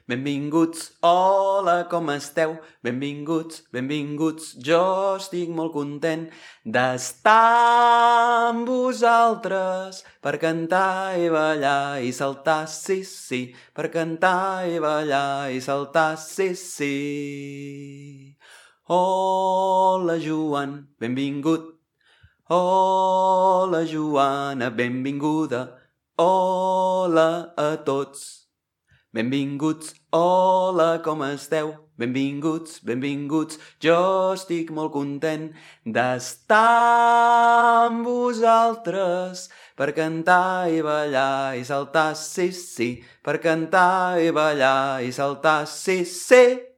Benvinguts, hola, com esteu? Benvinguts, benvinguts, jo estic molt content d'estar amb vosaltres per cantar i ballar i saltar, sí, sí, per cantar i ballar i saltar, sí, sí. Hola, Joan, benvingut. Hola, Joana, benvinguda. Hola a tots. Benvinguts, hola, com esteu? Benvinguts, benvinguts, jo estic molt content d'estar amb vosaltres per cantar i ballar i saltar, sí, sí, per cantar i ballar i saltar, sí, sí.